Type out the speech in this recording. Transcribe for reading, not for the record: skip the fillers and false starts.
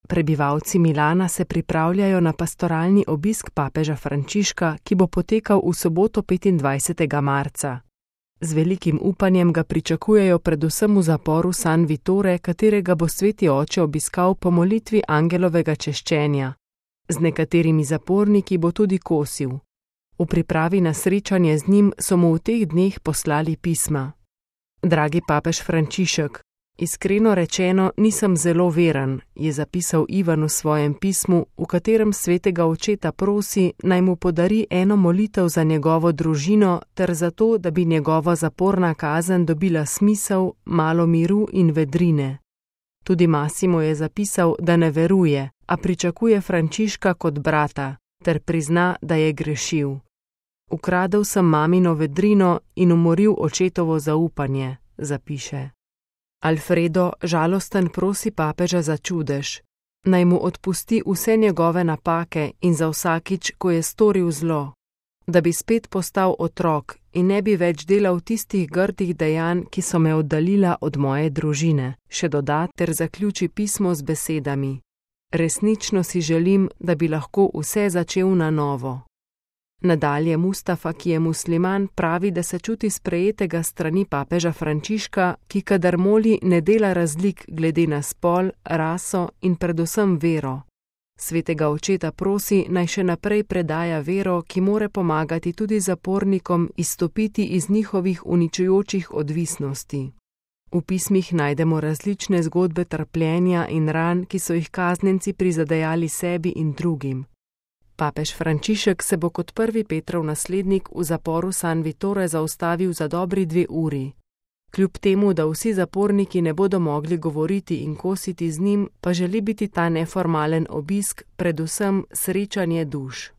Prebivalci Milana se pripravljajo na pastoralni obisk papeža Frančiška, ki bo potekal v soboto 25. marca. Z velikim upanjem ga pričakujejo predvsem v zaporu San Vittore, katerega bo sveti oče obiskal po molitvi angelovega češčenja. Z nekaterimi zaporniki bo tudi kosil. V pripravi na srečanje z njim so mu v teh dneh poslali pisma. Dragi papež Frančišek, iskreno rečeno nisem zelo veren, je zapisal Ivan v svojem pismu, v katerem svetega očeta prosi, naj mu podari eno molitev za njegovo družino ter za to, da bi njegova zaporna kazen dobila smisel, malo miru in vedrine. Tudi Massimo je zapisal, da ne veruje, a pričakuje Frančiška kot brata, ter prizna, da je grešil. Ukradel sem mamino vedrino in umoril očetovo zaupanje, zapiše. Alfredo žalosten prosi papeža za čudež, naj mu odpusti vse njegove napake in za vsakič, ko je storil zlo, da bi spet postal otrok in ne bi več delal tistih grdih dejanj, ki so me oddaljila od moje družine, še doda ter zaključi pismo z besedami. Resnično si želim, da bi lahko vse začel na novo. Nadalje Mustafa, ki je musliman, pravi, da se čuti sprejetega strani papeža Frančiška, ki kadar moli ne dela razlik glede na spol, raso in predvsem vero. Svetega očeta prosi, naj še naprej predaja vero, ki more pomagati tudi zapornikom izstopiti iz njihovih uničujočih odvisnosti. V pismih najdemo različne zgodbe trpljenja in ran, ki so jih kaznjenci prizadejali sebi in drugim. Papež Frančišek se bo kot prvi Petrov naslednik v zaporu San Vittore zaustavil za dobri 2 uri. Kljub temu, da vsi zaporniki ne bodo mogli govoriti in kositi z njim, pa želi biti ta neformalen obisk predvsem srečanje duš.